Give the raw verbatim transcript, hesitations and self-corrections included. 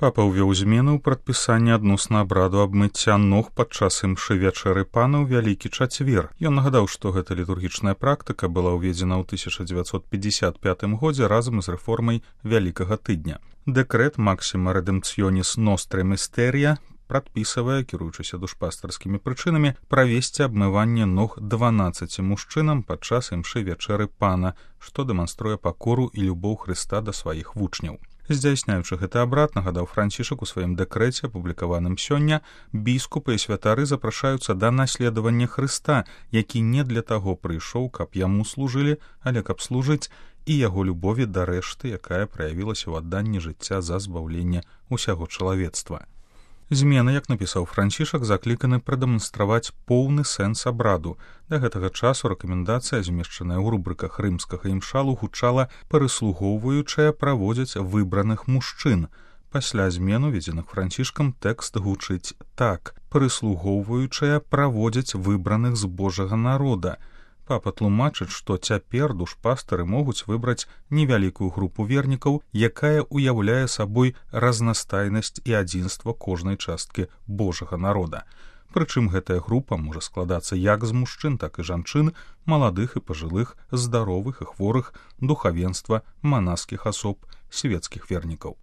Папа ўвёў змены ў прадпісанні адносна абраду абмыцця ног падчас імшы вячэры пана ў вялікі чацвер. Ён нагадаў, што гэта літургічная практыка была ўведзена ў тысяча дзевяцьсот пятьдесят пятым годзе разам з рэформай вялікага тыдня. Дэкрэт Максіма Рэдэмпцыёніс Нострэ Містэрія прадпісвае, кіруючыся душпастарскімі прычынамі, правесці абмыванне ног дванаццаці мужчынам падчас імшы вячэры пана, што дэманструе пакору і любоў Хрыста да сваіх вучняў. Здзяйсняючы гэты абрад, нагадаў Францішак у сваім дэкрэце, апублікаваным сёння, біскупы і святары запрашаюцца да наследавання Хрыста, які не для таго прыйшоў, каб яму служылі, але каб служыць і яго любові да рэшты, якая праявілася ў адданні жыцця за збаўленне ўсяго чалавецтва. Змены, як напісаў Францішак, закліканы прадэманстраваць поўны сэнс абраду. Да гэтага часу рэкамендацыя, змешчаная ў рубрыках рымскага імшалу, гучала «прыслугоўваючая праводзяць выбраных мужчын». Пасля змен, уведзеных Францішкам, тэкст гучыць так: «прыслугоўваючая праводзяць выбраных з Божага народа». Папа тлумачыць, што цяпер душпастары могуць выбраць невялікую групу вернікаў, якая ўяўляе сабой разнастайнасць і адзінства кожнай часткі Божага народа. Прычым гэтая група можа складацца як з мужчын, так і жанчын, маладых і пажылых, здаровых і хворых, духавенства, манаскіх асоб, свецкіх вернікаў.